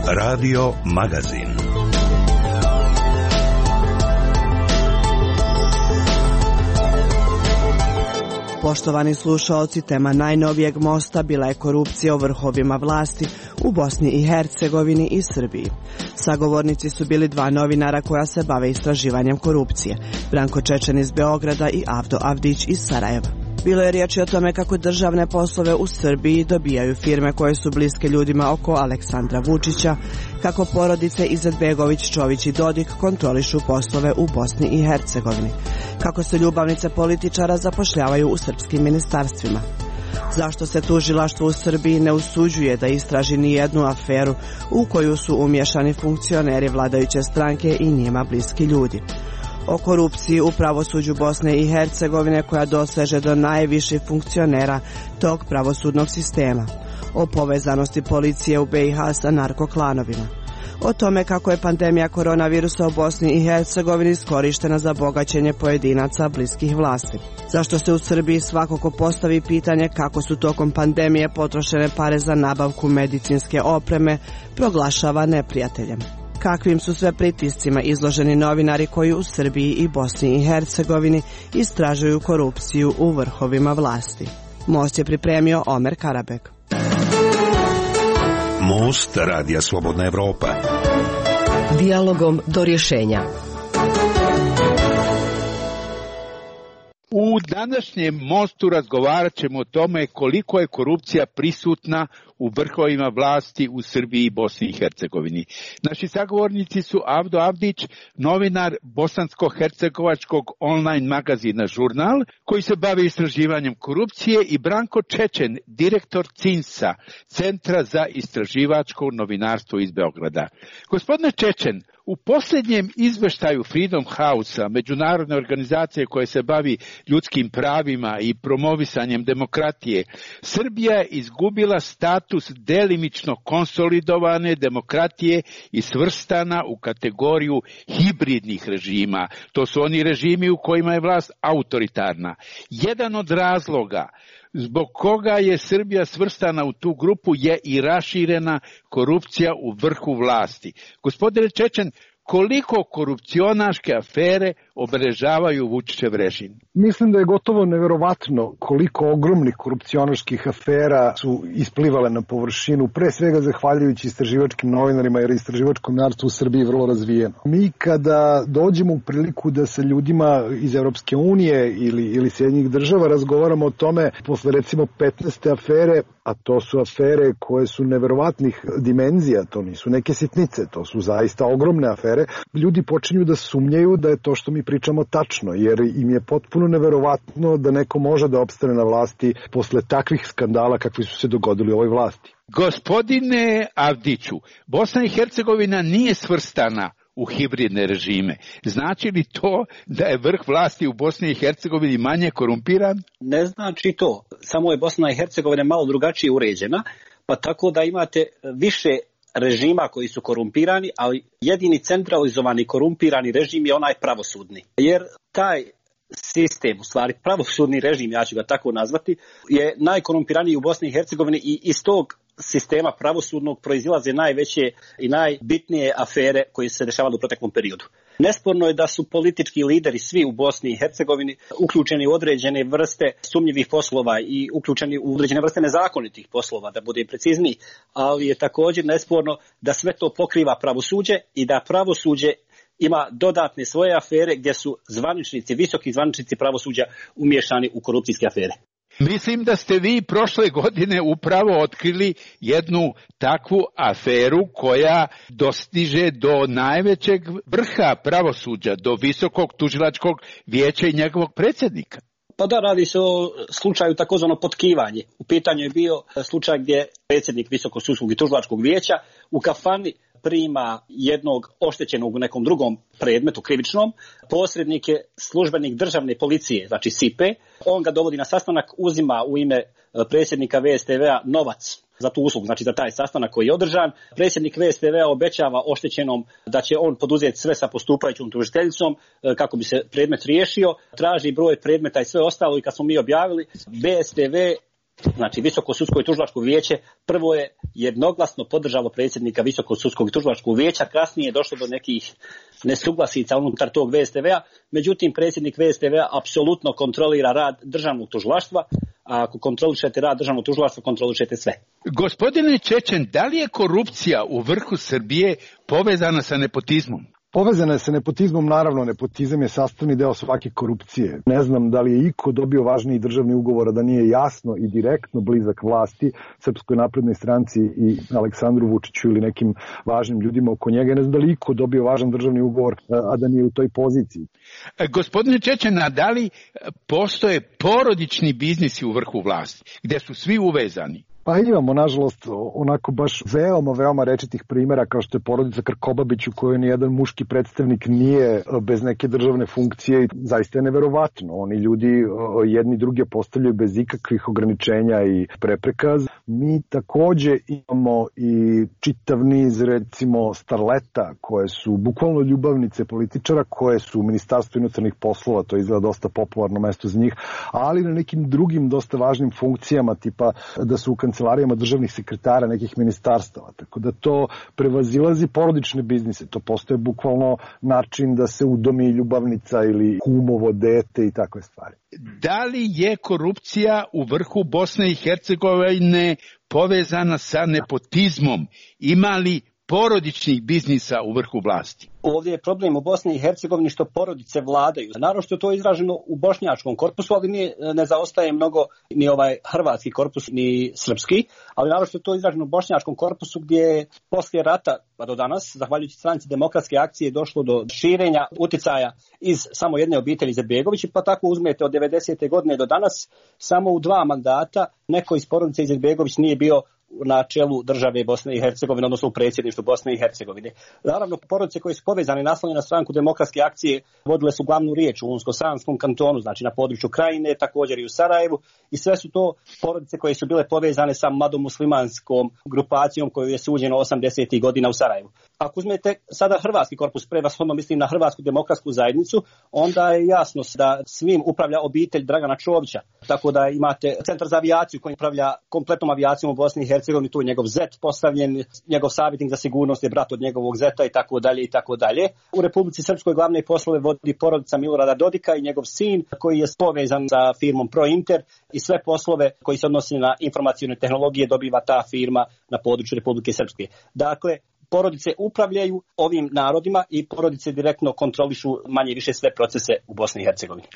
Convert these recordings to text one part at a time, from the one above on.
Radio Magazin. Poštovani slušaoci, tema najnovijeg mosta bila je korupcija u vrhovima vlasti u Bosni i Hercegovini i Srbiji. Sagovornici su bili dva novinara koja se bave istraživanjem korupcije, Branko Čečen iz Beograda i Avdo Avdić iz Sarajeva. Bilo je riječi o tome kako državne poslove u Srbiji dobijaju firme koje su bliske ljudima oko Aleksandra Vučića, kako porodice Izetbegović, Čović i Dodik kontrolišu poslove u Bosni i Hercegovini, kako se ljubavnice političara zapošljavaju u srpskim ministarstvima. Zašto se tužilaštvo u Srbiji ne usuđuje da istraži ni jednu aferu u koju su umiješani funkcioneri vladajuće stranke i njima bliski ljudi? O korupciji u pravosuđu Bosne i Hercegovine koja doseže do najviših funkcionera tog pravosudnog sistema. O povezanosti policije u BiH sa narkoklanovima. O tome kako je pandemija koronavirusa u Bosni i Hercegovini iskorištena za bogaćenje pojedinaca bliskih vlasti. Zašto se u Srbiji svakako postavi pitanje kako su tokom pandemije potrošene pare za nabavku medicinske opreme proglašava neprijateljem. Kakvim su sve pritiscima izloženi novinari koji u Srbiji i Bosni i Hercegovini istražuju korupciju u vrhovima vlasti. Most je pripremio Omer Karabek. Most Radija Slobodna Evropa. Dijalogom do rješenja. U današnjem mostu razgovarat ćemo o tome koliko je korupcija prisutna u vrhovima vlasti u Srbiji i Bosni i Hercegovini. Naši sagovornici su Avdo Avdić, novinar bosansko-hercegovačkog online magazina Žurnal, koji se bavi istraživanjem korupcije, i Branko Čečen, direktor CINS-a, Centra za istraživačko novinarstvo iz Beograda. Gospodine Čečen, u posljednjem izveštaju Freedom House-a, međunarodne organizacije koje se bavi ljudskim pravima i promovisanjem demokratije, Srbija je izgubila status delimično konsolidovane demokratije i svrstana u kategoriju hibridnih režima. To su oni režimi u kojima je vlast autoritarna. Jedan od razloga zbog koga je Srbija svrstana u tu grupu je i raširena korupcija u vrhu vlasti. Gospodine Čečen, koliko korupcionaške afere obeležavaju Vučićev režim? Mislim da je gotovo neverovatno koliko ogromnih korupcionaških afera su isplivale na površinu, pre svega zahvaljujući istraživačkim novinarima, jer istraživačko novinarstvo u Srbiji je vrlo razvijeno. Mi kada dođemo u priliku da sa ljudima iz Evropske unije ili Sjedinjenih država razgovaramo o tome, posle recimo 15. afere, a to su afere koje su neverovatnih dimenzija, to nisu neke sitnice, to su zaista ogromne afere, ljudi počinju da sumnjaju da je to što mi pričamo tačno, jer im je potpuno neverovatno da neko može da opstane na vlasti posle takvih skandala kakvi su se dogodili u ovoj vlasti. Gospodine Avdiću, Bosna i Hercegovina nije svrstana u hibridne režime. Znači li to da je vrh vlasti u Bosni i Hercegovini manje korumpiran? Ne znači to. Samo je Bosna i Hercegovina malo drugačije uređena, pa tako da imate više režima koji su korumpirani, ali jedini centralizovani korumpirani režim je onaj pravosudni. Jer taj sistem, u stvari pravosudni režim, ja ću ga tako nazvati, je najkorumpiraniji u Bosni i Hercegovini i iz tog sistema pravosudnog proizilaze najveće i najbitnije afere koje se dešavale u proteklom periodu. Nesporno je da su politički lideri svi u Bosni i Hercegovini uključeni u određene vrste sumnjivih poslova i uključeni u određene vrste nezakonitih poslova, da bude precizniji, ali je također nesporno da sve to pokriva pravosuđe i da pravosuđe ima dodatne svoje afere gdje su zvaničnici, visoki zvaničnici pravosuđa umiješani u korupcijske afere. Mislim da ste vi prošle godine upravo otkrili jednu takvu aferu koja dostiže do najvećeg vrha pravosuđa, do Visokog tužilačkog vijeća i njegovog predsjednika. Pa da, radi se o slučaju takozvano potkivanje. U pitanju je bio slučaj gdje predsjednik Visokog sudskog i tužilačkog vijeća u kafani prima jednog oštećenog u nekom drugom predmetu krivičnom, posrednik je službenik državne policije, znači SIPE, on ga dovodi na sastanak, uzima u ime predsjednika VSTV-a novac za tu uslugu, znači za taj sastanak koji je održan. Predsjednik VSTV-a obećava oštećenom da će on poduzeti sve sa postupajućom tužiteljicom kako bi se predmet riješio, traži broj predmeta i sve ostalo, i kad smo mi objavili, VSTV Znači, Visoko sudsko i tužilačko vijeće prvo je jednoglasno podržalo predsjednika Visokog sudskog i tužilačkog vijeća, kasnije je došlo do nekih nesuglasica unutar tog VSTV-a, međutim predsjednik VSTV-a apsolutno kontrolira rad državnog tužilaštva, a ako kontrolišete rad državnog tužilaštva, kontrolišete sve. Gospodine Čečen, da li je korupcija u vrhu Srbije povezana sa nepotizmom? Povezana je sa nepotizmom, naravno, nepotizam je sastavni deo svake korupcije. Ne znam da li je iko dobio važniji državni ugovor, a da nije jasno i direktno blizak vlasti, Srpskoj naprednoj stranci i Aleksandru Vučiću ili nekim važnim ljudima oko njega. Ne znam da li iko dobio važan državni ugovor, a da nije u toj poziciji. Gospodine Čečena, da li postoje porodični biznisi u vrhu vlasti, gde su svi uvezani? Pa imamo, nažalost, onako baš veoma rečitih primjera kao što je porodica Krkobabić u kojoj nijedan muški predstavnik nije bez neke državne funkcije i zaista je neverovatno. Oni ljudi jedni druge postavljaju bez ikakvih ograničenja i prepreka. Mi takođe imamo i čitav niz, recimo, starleta koje su bukvalno ljubavnice političara, koje su u Ministarstvu inostranih poslova, to je izgleda dosta popularno mesto za njih, ali na nekim drugim dosta važnim funkcijama, tipa da su u kancelarijama državnih sekretara nekih ministarstava. Tako da to prevazilazi porodične biznise. To postoje bukvalno način da se udomi ljubavnica ili kumovo dete i takve stvari. Da li je korupcija u vrhu Bosne i Hercegovine povezana sa nepotizmom? Ima li porodičnih biznisa u vrhu vlasti? Ovdje je problem u Bosni i Hercegovini što porodice vladaju. Naravno što je to izraženo u bošnjačkom korpusu, ali ne zaostaje mnogo ni ovaj hrvatski korpus, ni srpski, ali naravno što je to izraženo u bošnjačkom korpusu gdje je poslije rata pa do danas, zahvaljujući Stranci demokratske akcije, došlo do širenja uticaja iz samo jedne obitelji Izetbegović, pa tako uzmete od 90. godine do danas, samo u 2 mandata neko iz porodice Izetbegović nije bio na čelu države Bosne i Hercegovine, odnosno u predsjedništvu Bosne i Hercegovine. Naravno, porodice koje su povezane i naslonjene na Stranku demokratske akcije vodile su glavnu riječ u Unsko-Sanskom kantonu, znači na području Krajine, također i u Sarajevu, i sve su to porodice koje su bile povezane sa mladomuslimanskom grupacijom koju je suđeno 80. godina u Sarajevu. Ako uzmete sada hrvatski korpus, prevashodno mislim na Hrvatsku demokratsku zajednicu, onda je jasno da svim upravlja obitelj Dragana Čovića. Tako da imate Centar za avijaciju koji upravlja kompletnom avijacijom u Bosni i Hercegovini, tu je njegov zet postavljen, njegov savjetnik za sigurnost je brat od njegovog zeta i tako dalje i tako dalje. U Republici Srpskoj glavne poslove vodi porodica Milorada Dodika i njegov sin koji je povezan sa firmom Prointer i sve poslove koji se odnose na informacione tehnologije dobiva ta firma na području Republike Srpske. Dakle, porodice upravljaju ovim narodima i porodice direktno kontrolišu manje više sve procese u Bosni i Hercegovini.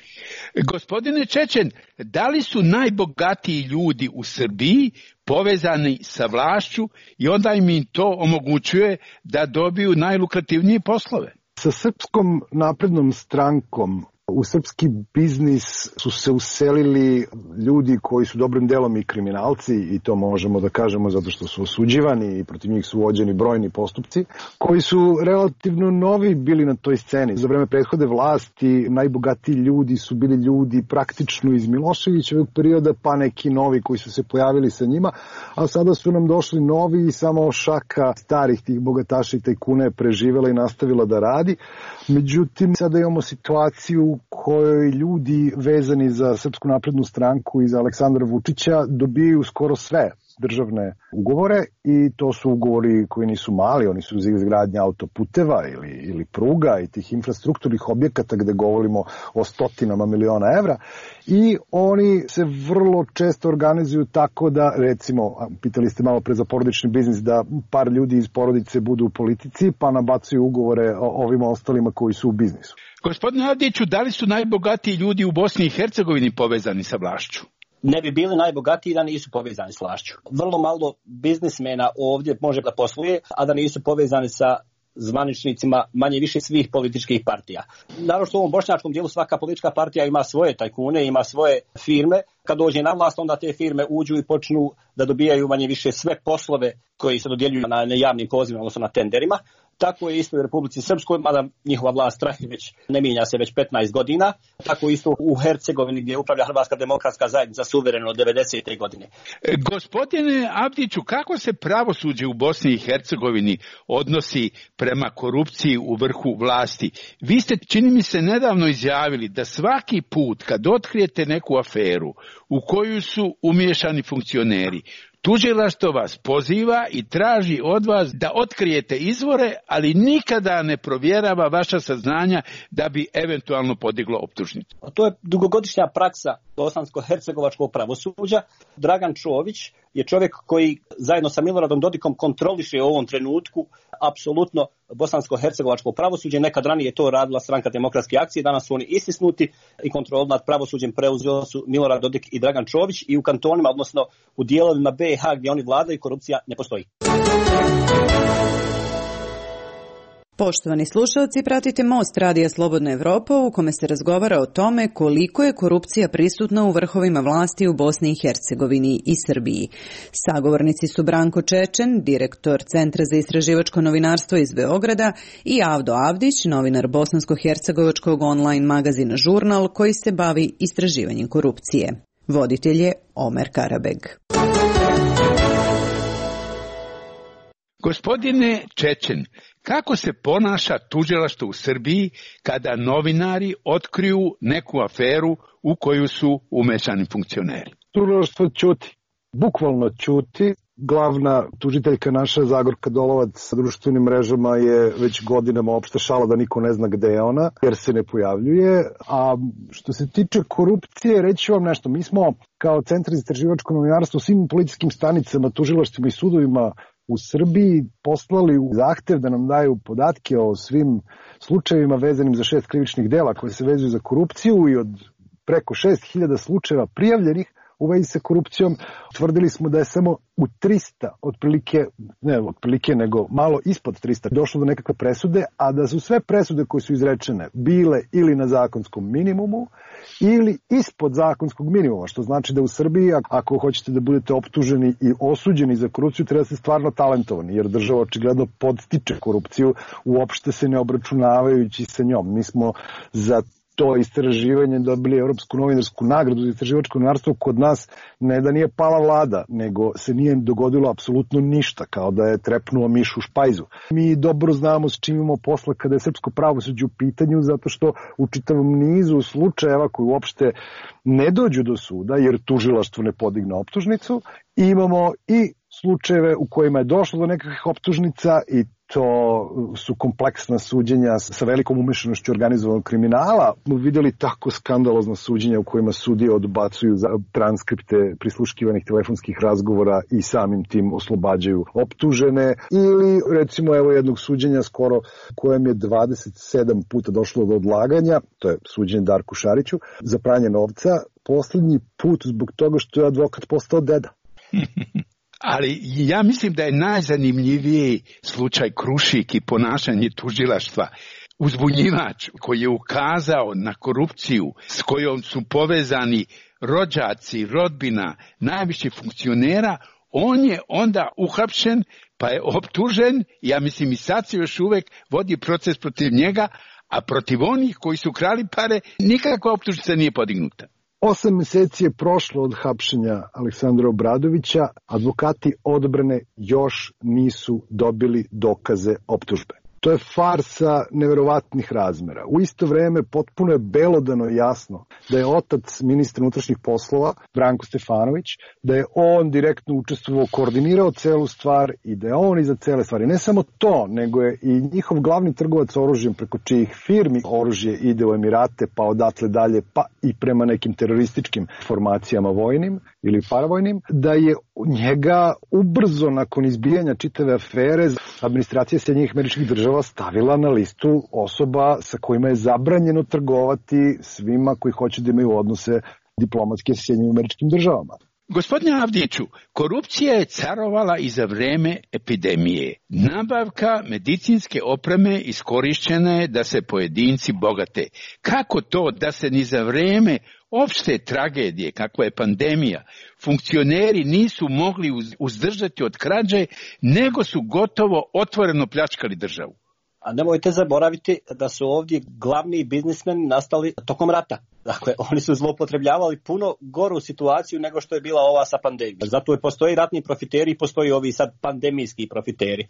Gospodine Čečen, da li su najbogatiji ljudi u Srbiji povezani sa vlašću i onda im to omogućuje da dobiju najlukrativnije poslove? Sa Srpskom naprednom strankom u srpski biznis su se uselili ljudi koji su dobrim delom i kriminalci, i to možemo da kažemo zato što su osuđivani i protiv njih su vođeni brojni postupci, koji su relativno novi bili na toj sceni. Za vreme prethode vlasti najbogatiji ljudi su bili ljudi praktično iz Miloševićevog perioda, pa neki novi koji su se pojavili sa njima, a sada su nam došli novi i samo šaka starih tih bogataša i tajkuna je preživela i nastavila da radi. Međutim, sada imamo situaciju u kojoj ljudi vezani za Srpsku naprednu stranku i za Aleksandra Vučića dobijaju skoro sve državne ugovore, i to su ugovori koji nisu mali, oni su za izgradnje autoputeva ili pruga i tih infrastrukturnih objekata gde govorimo o stotinama miliona evra, i oni se vrlo često organizuju tako da, recimo, pitali ste malo pre za porodični biznis, da par ljudi iz porodice budu u politici pa nabacuju ugovore ovima ostalima koji su u biznisu. Gospodine Avdiću, da li su najbogatiji ljudi u Bosni i Hercegovini povezani sa vlašću? Ne bi bili najbogatiji da nisu povezani s vlašću. Vrlo malo biznismena ovdje može da posluje, a da nisu povezani sa zvaničnicima manje više svih političkih partija. Naravno što u ovom bošnjačkom dijelu svaka politička partija ima svoje tajkune, ima svoje firme. Kad dođe na vlast, onda te firme uđu i počnu da dobijaju manje više sve poslove koji se dodjeljuju na javnim pozivima, odnosno na tenderima. Tako je isto u Republici Srpskoj, mada njihova vlast traje već, ne mijenja se već 15 godina. Tako isto u Hercegovini gdje upravlja Hrvatska demokratska zajednica suvereno od 90. godine. Gospodine Avdiću, kako se pravosuđe u Bosni i Hercegovini odnosi prema korupciji u vrhu vlasti? Vi ste, čini mi se, nedavno izjavili da svaki put kad otkrijete neku aferu u koju su umiješani funkcioneri, tužilaštvo vas poziva i traži od vas da otkrijete izvore, ali nikada ne provjerava vaša saznanja da bi eventualno podiglo optužnicu. To je dugogodišnja praksa bosansko-hercegovačkog pravosuđa. Dragan Čović je čovjek koji zajedno sa Miloradom Dodikom kontroliše u ovom trenutku apsolutno bosansko-hercegovačko pravosuđe. Nekad ranije to radila Stranka demokratske akcije, danas su oni istisnuti i kontrolu nad pravosuđem preuzeli su Milorad Dodik i Dragan Čović i u kantonima, odnosno u dijelovima BiH gdje oni vladaju, korupcija ne postoji. Poštovani slušalci, pratite Most Radija Slobodna Evropa u kome se razgovara o tome koliko je korupcija prisutna u vrhovima vlasti u Bosni i Hercegovini i Srbiji. Sagovornici su Branko Čečen, direktor Centra za istraživačko novinarstvo iz Beograda, i Avdo Avdić, novinar bosansko-hercegovačkog online magazina Žurnal koji se bavi istraživanjem korupcije. Voditelj je Omer Karabeg. Gospodine Čečen, kako se ponaša tužilaštvo u Srbiji kada novinari otkriju neku aferu u koju su umešani funkcioneri? Tužilaštvo ćuti, bukvalno ćuti. Glavna tužiteljka naša, Zagorka Dolovac, sa društvenim mrežama je već godinama opšta šala da niko ne zna gde je ona, jer se ne pojavljuje. A što se tiče korupcije, reći vam nešto. Mi smo kao Centar za istraživačko novinarstvo svim policijskim stanicama, tužilaštvima i sudovima u Srbiji poslali zahtev da nam daju podatke o svim slučajevima vezanim za 6 krivičnih dela koje se vezuju za korupciju i od preko 6.000 slučajeva prijavljenih u vezi sa korupcijom. Tvrdili smo da je samo u 300, nego malo ispod 300 došlo do nekakve presude, a da su sve presude koje su izrečene bile ili na zakonskom minimumu ili ispod zakonskog minimuma, što znači da u Srbiji, ako hoćete da budete optuženi i osuđeni za korupciju, treba da ste stvarno talentovani, jer država očigledno podstiče korupciju, uopšte se ne obračunavajući sa njom. Mi smo za to istraživanje dobili Evropsku novinarsku nagradu za istraživačko novinarstvo. Kod nas ne da nije pala vlada, nego se nije dogodilo apsolutno ništa, kao da je trepnuo miš u špajzu. Mi dobro znamo s čim imamo posla kada je srpsko pravosuđe u pitanju, zato što u čitavom nizu slučajeva koji uopšte ne dođu do suda, jer tužilaštvo ne podigne optužnicu, imamo i slučajeve u kojima je došlo do nekakvih optužnica i to su kompleksna suđenja sa velikom umešanošću organizovanog kriminala. Vidjeli tako skandalozna suđenja u kojima sudije odbacuju transkripte prisluškivanih telefonskih razgovora i samim tim oslobađaju optužene. Ili recimo evo jednog suđenja skoro kojem je 27 puta došlo do odlaganja, to je suđenje Darku Šariću, za pranje novca, posljednji put zbog toga što je advokat postao deda. Ali ja mislim da je najzanimljiviji slučaj Krušik i ponašanje tužilaštva. Uzbunjivač koji je ukazao na korupciju s kojom su povezani rođaci, rodbina, najviših funkcionera, on je onda uhapšen pa je optužen, ja mislim i sad se još uvek vodi proces protiv njega, a protiv onih koji su krali pare nikakva optužnica nije podignuta. 8 meseci je prošlo od hapšenja Aleksandra Obradovića, advokati odbrane još nisu dobili dokaze optužbe. To je farsa neverovatnih razmera. U isto vreme potpuno je belodano jasno da je otac ministra unutrašnjih poslova, Branko Stefanović, da je on direktno učestvovao, koordinirao celu stvar i da je on iza cele stvari. Ne samo to, nego je i njihov glavni trgovac oružjem preko čijih firmi oružje ide u Emirate, pa odatle dalje, pa i prema nekim terorističkim formacijama vojnim ili paravojnim, da je njega ubrzo nakon izbijanja čitave afere administracija Sjedinjenih Američkih Država stavila na listu osoba sa kojima je zabranjeno trgovati svima koji hoće da imaju odnose diplomatske sa Sjedinjenim Američkim Državama. Gospodine Avdiću, korupcija je carovala i za vreme epidemije. Nabavka medicinske opreme iskorišćena je da se pojedinci bogate. Kako to da se ni za vreme opšte tragedije, kakva je pandemija, funkcioneri nisu mogli uzdržati od krađe, nego su gotovo otvoreno pljačkali državu? A nemojte zaboraviti da su ovdje glavni biznismeni nastali tokom rata. Dakle, oni su zloupotrebljavali puno goru situaciju nego što je bila ova sa pandemijom. Zato je postoji ratni profiteri i postoji ovi sad pandemijski profiteri.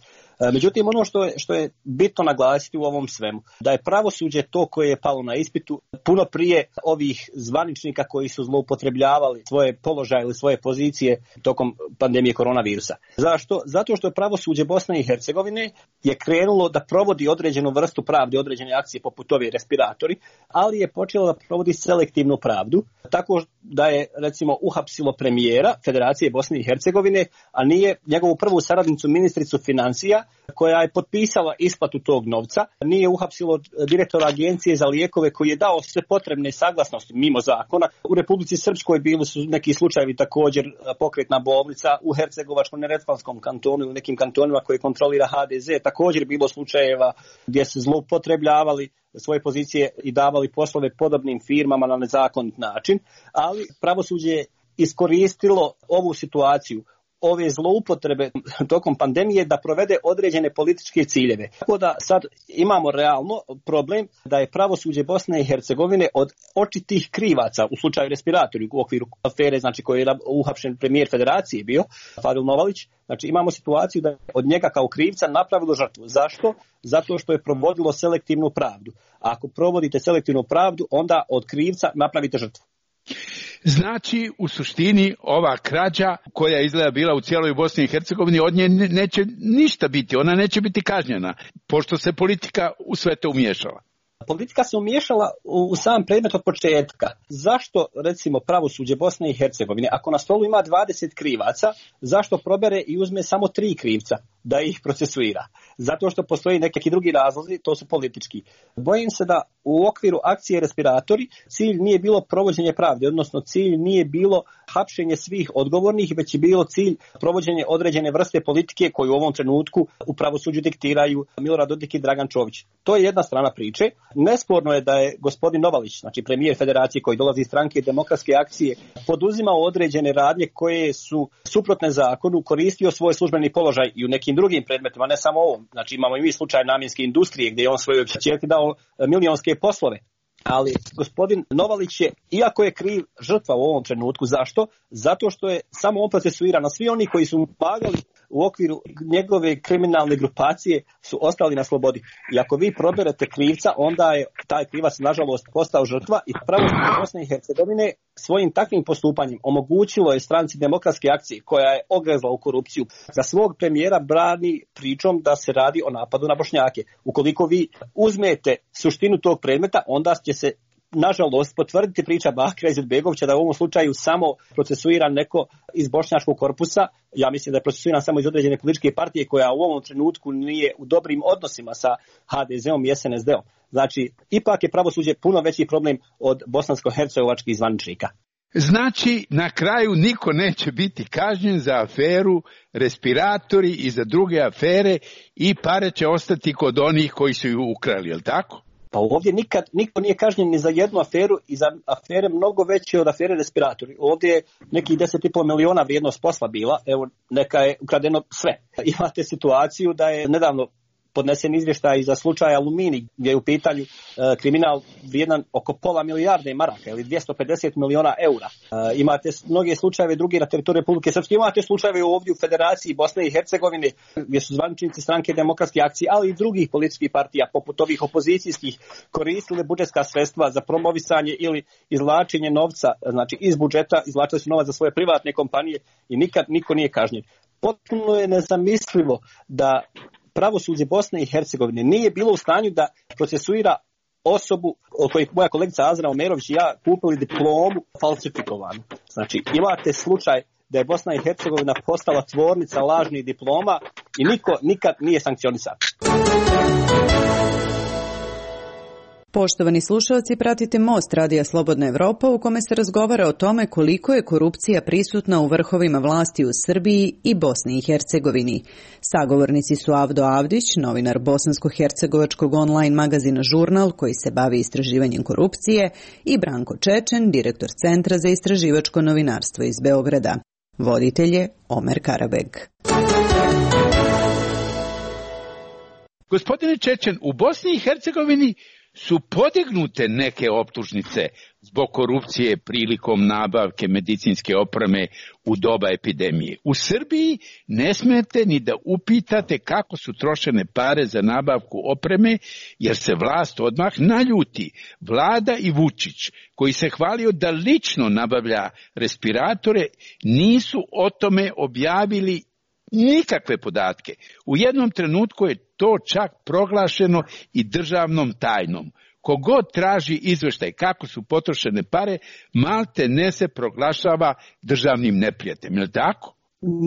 Međutim, ono što je bitno naglasiti u ovom svemu, da je pravosuđe to koje je palo na ispitu puno prije ovih zvaničnika koji su zloupotrebljavali svoje položaje ili svoje pozicije tokom pandemije koronavirusa. Zašto? Zato što je pravosuđe Bosne i Hercegovine je krenulo da provodi određenu vrstu pravde, određene akcije poput ovi respiratori, ali je počelo da provodi selektivnu pravdu, tako da je recimo uhapsilo premijera Federacije Bosne i Hercegovine, a nije njegovu prvu saradnicu ministricu financija koja je potpisala isplatu tog novca, nije uhapsilo direktora agencije za lijekove koji je dao sve potrebne saglasnosti mimo zakona. U Republici Srpskoj bili su neki slučajevi također pokretna bolnica, u Hercegovačko-neretvanskom kantonu i u nekim kantonima koje kontrolira HDZ također bilo slučajeva gdje se zloupotrebljavali svoje pozicije i davali poslove podobnim firmama na nezakonit način, ali pravosuđe je iskoristilo ovu situaciju, ove zloupotrebe tokom pandemije da provede određene političke ciljeve. Tako da sad imamo realno problem da je pravosuđe Bosne i Hercegovine od očitih krivaca u slučaju respiratori u okviru afere, znači koji je uhapšen premijer Federacije bio, Fadil Novalić, znači imamo situaciju da je od njega kao krivca napravilo žrtvu. Zašto? Zato što je provodilo selektivnu pravdu. A ako provodite selektivnu pravdu, onda od krivca napravite žrtvu. Znači, u suštini, ova krađa koja je izgleda bila u cijeloj Bosni i Hercegovini, od nje neće ništa biti, ona neće biti kažnjena, pošto se politika u sve to umiješala. Politika se umiješala u sam predmet od početka. Zašto, recimo, pravosuđe Bosne i Hercegovine, ako na stolu ima 20 krivaca, zašto probere i uzme samo 3 krivca da ih procesuira? Zato što postoji neki drugi razlozi, to su politički. Bojim se da u okviru akcije respiratori cilj nije bilo provođenje pravde, odnosno cilj nije bilo hapšenje svih odgovornih, već je bilo cilj provođenje određene vrste politike koju u ovom trenutku u pravosuđu diktiraju Milorad Dodik i Dragan Čović. To je jedna strana priče. Nesporno je da je gospodin Novalić, znači premijer Federacije koji dolazi iz stranke Demokratske akcije, poduzimao određene radnje koje su suprotne zakonu, koristio svoj službeni položaj i u nekim drugim predmetima, ne samo ovom. Znači imamo i mi slučaj namjenske industrije gdje je on svojoj ćerki dao milionske poslove. Ali gospodin Novalić je, iako je kriv, žrtva u ovom trenutku. Zašto? Zato što je samo on procesuiran, a svi oni koji su mu pomagali u okviru njegove kriminalne grupacije su ostali na slobodi. I ako vi proberete krivca, onda je taj krivac nažalost postao žrtva i pravosuđe Bosne i Hercegovine svojim takvim postupanjem omogućilo je stranci Demokratske akcije koja je ogrezla u korupciju za svog premijera brani pričom da se radi o napadu na Bošnjake. Ukoliko vi uzmete suštinu tog predmeta, onda će se nažalost potvrditi priča Bakira Izetbegovića da je u ovom slučaju samo procesuiran neko iz bošnjačkog korpusa. Ja mislim da je procesuiran samo iz određene političke partije koja u ovom trenutku nije u dobrim odnosima sa HDZ-om i SNSD-om. Znači, ipak je pravosuđe puno veći problem od bosansko-hercegovačkih zvaničnika. Znači, na kraju niko neće biti kažnjen za aferu respiratori i za druge afere i pare će ostati kod onih koji su ju ukrali, je li tako? Pa ovdje niko nije kažnjen ni za jednu aferu i za afere mnogo veće od afere respiratori. Ovdje je nekih 10,5 miliona vrijednost posla bila, evo neka je ukradeno sve. Imate situaciju da je nedavno podnesen izvještaj za slučaj Aluminij, gdje je u pitanju kriminal vrijedan oko pola milijarde maraka ili 250 miliona eura. Imate mnoge slučajeve drugi na teritoriju Republike Srpske, imate slučajeve ovdje u Federaciji Bosne i Hercegovine gdje su zvaničnici stranke Demokratske akcije, ali i drugih političkih partija poput ovih opozicijskih koristile budžetska sredstva za promovisanje ili izvlačenje novca, znači iz budžeta izvlačili su novac za svoje privatne kompanije i nikad niko nije kažnjen. Potpuno je nezamislivo da pravosuđe Bosne i Hercegovine nije bilo u stanju da procesuira osobu o kojoj moja kolegica Azra Omerović i ja kupili diplomu falsifikovanu. Znači, imate slučaj da je Bosna i Hercegovina postala tvornica lažnih diploma i niko nikad nije sankcionisan. Poštovani slušalci, pratite Most Radija Slobodna Evropa u kome se razgovara o tome koliko je korupcija prisutna u vrhovima vlasti u Srbiji i Bosni i Hercegovini. Sagovornici su Avdo Avdić, novinar bosansko-hercegovačkog online magazina Žurnal koji se bavi istraživanjem korupcije, i Branko Čečen, direktor Centra za istraživačko novinarstvo iz Beograda. Voditelj je Omer Karabeg. Gospodine Čečen, u Bosni i Hercegovini su podignute neke optužnice zbog korupcije prilikom nabavke medicinske opreme u doba epidemije. U Srbiji ne smete ni da upitate kako su trošene pare za nabavku opreme, jer se vlast odmah naljuti. Vlada i Vučić, koji se hvalio da lično nabavlja respiratore, nisu o tome objavili nikakve podatke. U jednom trenutku je to čak proglašeno i državnom tajnom. Kogod traži izveštaj kako su potrošene pare, malte ne se proglašava državnim neprijateljem. Je li tako?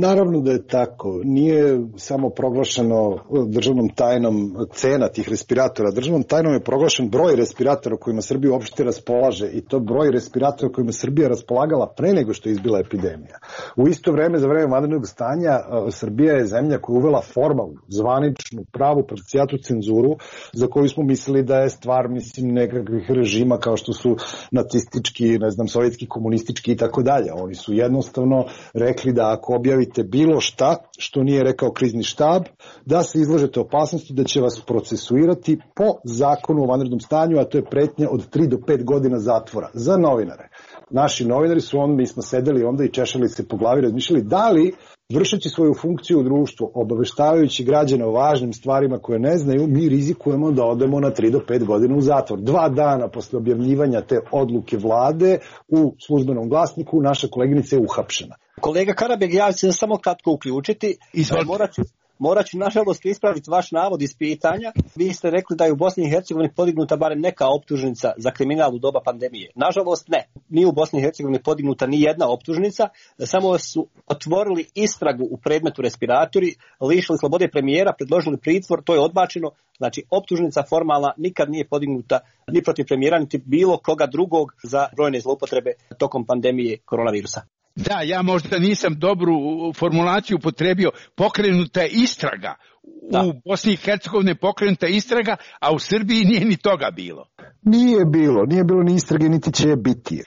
Naravno da je tako. Nije samo proglašeno državnom tajnom cena tih respiratora. Državnom tajnom je proglašen broj respiratora kojima Srbija uopšte raspolaže i to broj respiratora kojima Srbija raspolagala pre nego što je izbila epidemija. U isto vreme, za vreme vanrednog stanja, Srbija je zemlja koja je uvela formalnu, zvaničnu, pravu parcijatu cenzuru za koju smo mislili da je stvar, nekakvih režima kao što su nacistički, sovjetski, komunistički i tako dalje. Oni su jednostavno rekli da ako objavite bilo šta što nije rekao krizni štab, da se izlažete opasnosti da će vas procesuirati po zakonu o vanrednom stanju, a to je pretnja od 3 do 5 godina zatvora za novinare. Naši novinari su mi smo sedeli onda i češali se po glavi, razmišljali da li vršeći svoju funkciju u društvu, obaveštavajući građane o važnim stvarima koje ne znaju, mi rizikujemo da odemo na 3 do 5 godina u zatvor. 2 dana posle objavljivanja te odluke vlade u službenom glasniku naša koleginica je uhapšena. Kolega Karabeg, ja ću se samo kratko uključiti. Morat ću nažalost ispraviti vaš navod iz pitanja. Vi ste rekli da je u Bosni i Hercegovini podignuta barem neka optužnica za kriminal u doba pandemije. Nažalost ne. Nije u Bosni i Hercegovini podignuta ni jedna optužnica, samo su otvorili istragu u predmetu respiratori, lišili slobode premijera, predložili pritvor, to je odbačeno. Znači optužnica formalna nikad nije podignuta ni protiv premijera, niti bilo koga drugog za brojne zloupotrebe tokom pandemije koronavirusa. Da, ja možda nisam dobru formulaciju upotrebio. Pokrenuta je istraga. Da. U Bosni i Hercegovini je pokrenuta istraga, a u Srbiji nije ni toga bilo. Nije bilo ni istrage, niti će biti.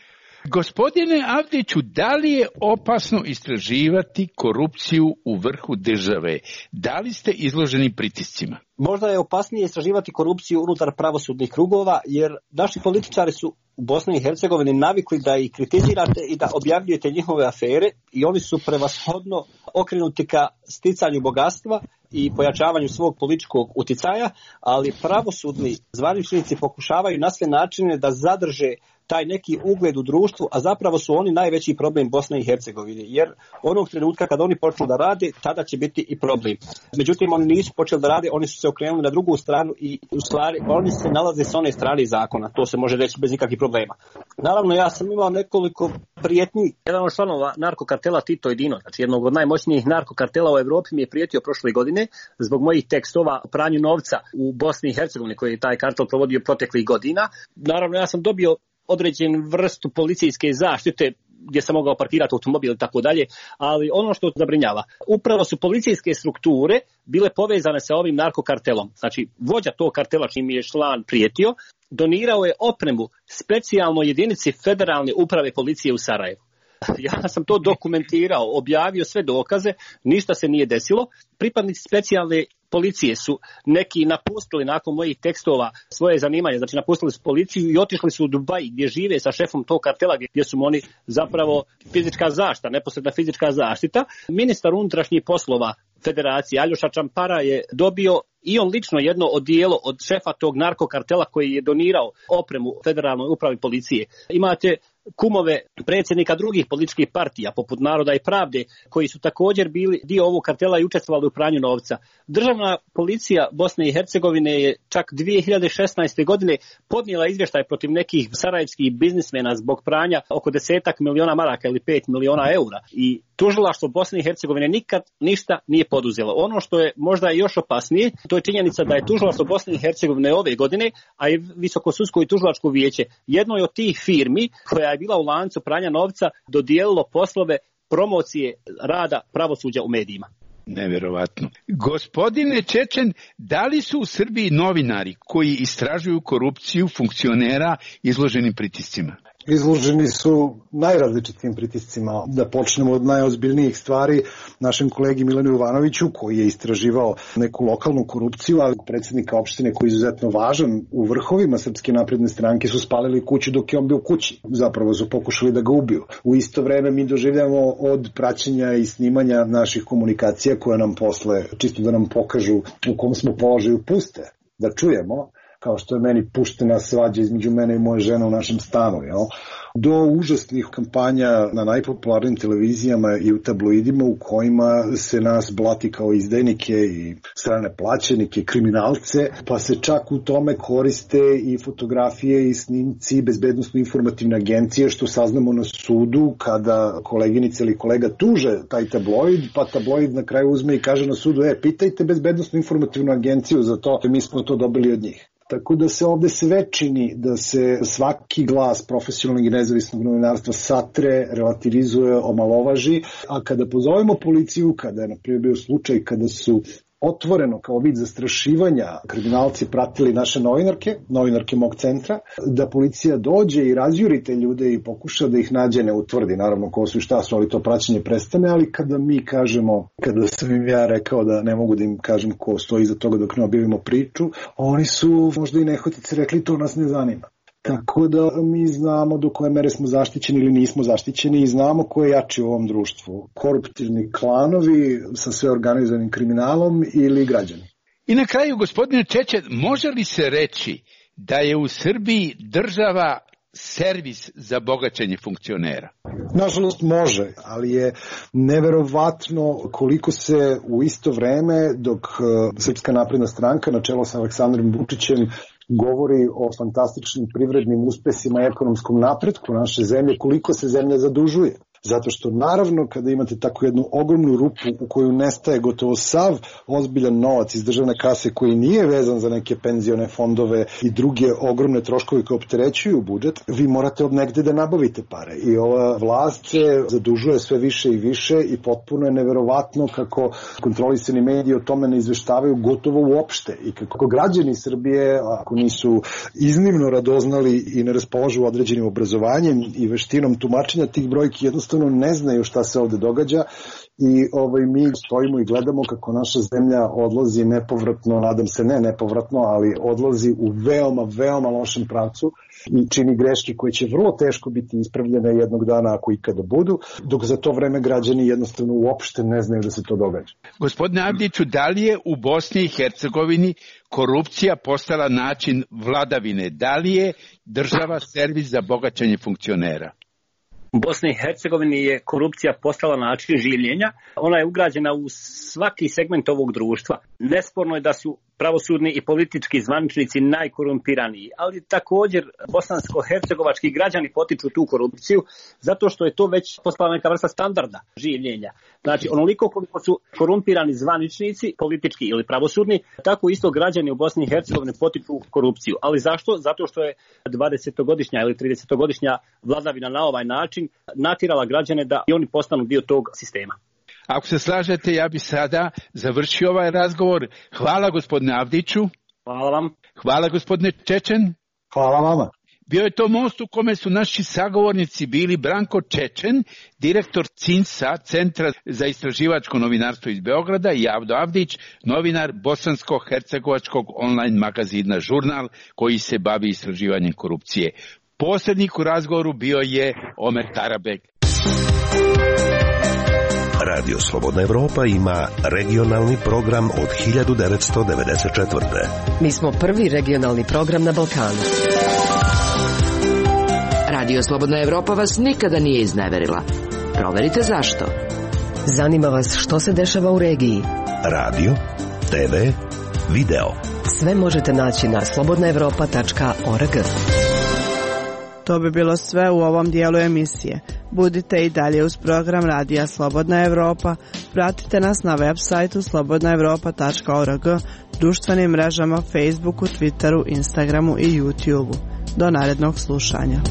Gospodine Avdiću, da li je opasno istraživati korupciju u vrhu države? Da li ste izloženi pritiscima? Možda je opasnije istraživati korupciju unutar pravosudnih krugova, jer naši političari su u Bosni i Hercegovini navikli da ih kritizirate i da objavljujete njihove afere i oni su prevashodno okrenuti ka sticanju bogatstva i pojačavanju svog političkog uticaja, ali pravosudni zvaničnici pokušavaju na sve načine da zadrže taj neki ugled u društvu, a zapravo su oni najveći problem Bosne i Hercegovine, jer onog trenutka kad oni počnu da rade, tada će biti i problem. Međutim, oni nisu počeli da rade, oni su se okrenuli na drugu stranu i u stvari oni se nalaze s one strane zakona, to se može reći bez nikakvih problema. Naravno, ja sam imao nekoliko prijetnji. Jedan od članova narkokartela Tito Edino, znači jednog od najmoćnijih narkokartela u Evropi, mi je prijetio prošle godine zbog mojih tekstova o pranju novca u Bosni i Hercegovini koji je taj kartel provodio proteklih godina. Naravno, ja sam dobio određen vrstu policijske zaštite gdje sam mogao parkirati automobil i tako dalje, ali ono što zabrinjava, upravo su policijske strukture bile povezane sa ovim narkokartelom. Znači, vođa tog kartela čim je član prijetio, donirao je opremu specijalnoj jedinici Federalne uprave policije u Sarajevu. Ja sam to dokumentirao, objavio sve dokaze, ništa se nije desilo. Pripadnici specijalne policije su neki napustili nakon mojih tekstova svoje zanimanje, znači napustili su policiju i otišli su u Dubaj gdje žive sa šefom tog kartela gdje su oni zapravo fizička zaštita, neposredna fizička zaštita. Ministar unutrašnjih poslova Federacije Aljoša Čampara je dobio i on lično jedno odijelo od šefa tog narkokartela koji je donirao opremu Federalnoj upravi policije. Imate kumove predsjednika drugih političkih partija, poput Naroda i Pravde, koji su također bili dio ovog kartela i učestvovali u pranju novca. Državna policija Bosne i Hercegovine je čak 2016. godine podnijela izvještaj protiv nekih sarajevskih biznismena zbog pranja oko 10 miliona maraka ili 5 miliona eura. I tužilaštvo Bosne i Hercegovine nikad ništa nije poduzelo. Ono što je možda još opasnije, to je činjenica da je tužilaštvo Bosne i Hercegovine ove godine, a i Visoko sudsko i tužilačko vijeće, jednoj od tih firmi koja je bila u lancu pranja novca dodijelilo poslove promocije rada pravosuđa u medijima. Nevjerovatno. Gospodine Čečen, da li su u Srbiji novinari koji istražuju korupciju funkcionera izloženi pritiscima? Izloženi su najrazličitim pritiscima. Da počnemo od najozbiljnijih stvari, našem kolegi Milanu Jovanoviću, koji je istraživao neku lokalnu korupciju, ali predsjednika opštine koji je izuzetno važan u vrhovima Srpske napredne stranke su spalili kuću dok je on bio kući. Zapravo su pokušali da ga ubiju. U isto vreme mi doživljamo od praćenja i snimanja naših komunikacija koje nam posle, čisto da nam pokažu u kom smo položaju, puste, da čujemo, kao što je meni puštena svađa između mene i moje žene u našem stanu, do užasnih kampanja na najpopularnijim televizijama i u tabloidima u kojima se nas blati kao izdajnike i strane plaćenike, kriminalce, pa se čak u tome koriste i fotografije i snimci bezbednosno-informativne agencije, što saznamo na sudu kada koleginica ili kolega tuže taj tabloid, pa tabloid na kraju uzme i kaže na sudu, pitajte bezbednosno-informativnu agenciju za to, mi smo to dobili od njih. Tako da se ovde sve čini da se svaki glas profesionalnog i nezavisnog novinarstva satre, relativizuje, omalovaži, a kada pozovemo policiju, kada je na primjer bio slučaj kada su otvoreno kao vid zastrašivanja kriminalci pratili naše novinarke mog centra, da policija dođe i razjuri te ljude i pokuša da ih nađe, ne utvrdi naravno ko su i šta su, ali to praćenje prestane, ali kada mi kažemo, kada sam im ja rekao da ne mogu da im kažem ko stoji iza toga dok ne objavimo priču, oni su možda i nehotice rekli to nas ne zanima. Tako da mi znamo do koje mere smo zaštićeni ili nismo zaštićeni i znamo ko je jači u ovom društvu. Koruptivni klanovi sa sve organizovanim kriminalom ili građani. I na kraju, gospodine Čečen, može li se reći da je u Srbiji država servis za bogaćenje funkcionera? Nažalost može, ali je neverovatno koliko se u isto vreme dok Srpska napredna stranka na čelu sa Aleksandrom Vučićem govori o fantastičnim privrednim uspesima i ekonomskom napretku naše zemlje, koliko se zemlja zadužuje. Zato što naravno kada imate tako jednu ogromnu rupu u koju nestaje gotovo sav ozbiljan novac iz državne kase koji nije vezan za neke penzione fondove i druge ogromne troškove koje opterećuju budžet, vi morate od negde da nabavite pare. I ova vlast se zadužuje sve više i više i potpuno je neverovatno kako kontrolisani mediji o tome ne izveštavaju gotovo uopšte i kako građani Srbije, ako nisu iznimno radoznali i ne raspolažu određenim obrazovanjem i veštinom tumačenja tih brojki, jednostavno ne znaju šta se ovde događa i mi stojimo i gledamo kako naša zemlja odlazi nepovratno, nadam se ne nepovratno, ali odlazi u veoma, veoma lošem pravcu i čini greške koje će vrlo teško biti ispravljene jednog dana ako ikada budu, dok za to vreme građani jednostavno uopšte ne znaju da se to događa. Gospodine Avdiću, da li je u Bosni i Hercegovini korupcija postala način vladavine? Da li je država servis za bogaćenje funkcionera? U Bosni i Hercegovini je korupcija postala način življenja. Ona je ugrađena u svaki segment ovog društva. Nesporno je da su pravosudni i politički zvaničnici najkorumpiraniji, ali također bosansko-hercegovački građani potiču tu korupciju zato što je to već postala neka vrsta standarda življenja. Znači, onoliko koliko su korumpirani zvaničnici, politički ili pravosudni, tako isto građani u Bosni i Hercegovini potiču korupciju. Ali zašto? Zato što je 20-godišnja ili 30-godišnja vladavina na ovaj način natjerala građane da i oni postanu dio tog sistema. Ako se slažete, ja bih sada završio ovaj razgovor. Hvala gospodine Avdiću. Hvala vam. Hvala gospodine Čečen. Hvala vama. Bio je to most u kome su naši sagovornici bili Branko Čečen, direktor CINS-a, Centra za istraživačko novinarstvo iz Beograda, i Avdo Avdić, novinar bosansko-hercegovačkog online magazina Žurnal, koji se bavi istraživanjem korupcije. Posrednik u razgovoru bio je Omer Tarabek. Radio Slobodna Evropa ima regionalni program od 1994. Mi smo prvi regionalni program na Balkanu. Radio Slobodna Evropa vas nikada nije izneverila. Proverite zašto. Zanima vas što se dešava u regiji. Radio, TV, video. Sve možete naći na slobodnaevropa.org. To bi bilo sve u ovom dijelu emisije. Budite i dalje uz program Radija Slobodna Evropa. Pratite nas na web sajtu slobodnaevropa.org, društvenim mrežama Facebooku, Twitteru, Instagramu i YouTubeu. Do narednog slušanja.